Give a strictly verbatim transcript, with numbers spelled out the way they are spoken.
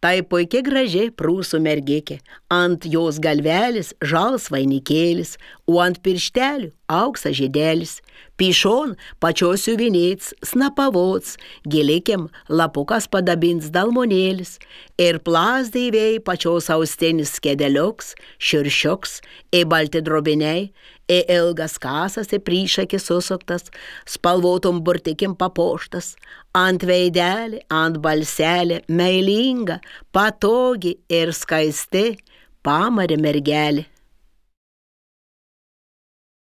Tai puikiai graži prūsų mergikė, ant jos galvelis žals vainikėlis, o ant pirštelių auksa žiedelis. Pišon pačios siuvinėts, snapavots, gilikim lapukas padabins dalmonėlis. Ir plazdėvėjai pačios austinis skedeliuks, širšioks, į balti drobiniai, į ilgas kasas, į prišakį susuktas, spalvotom burtikim papuoštas. Ant veidelį, ant balselį, meilinga, patogi ir skaisti, pamarė mergelė.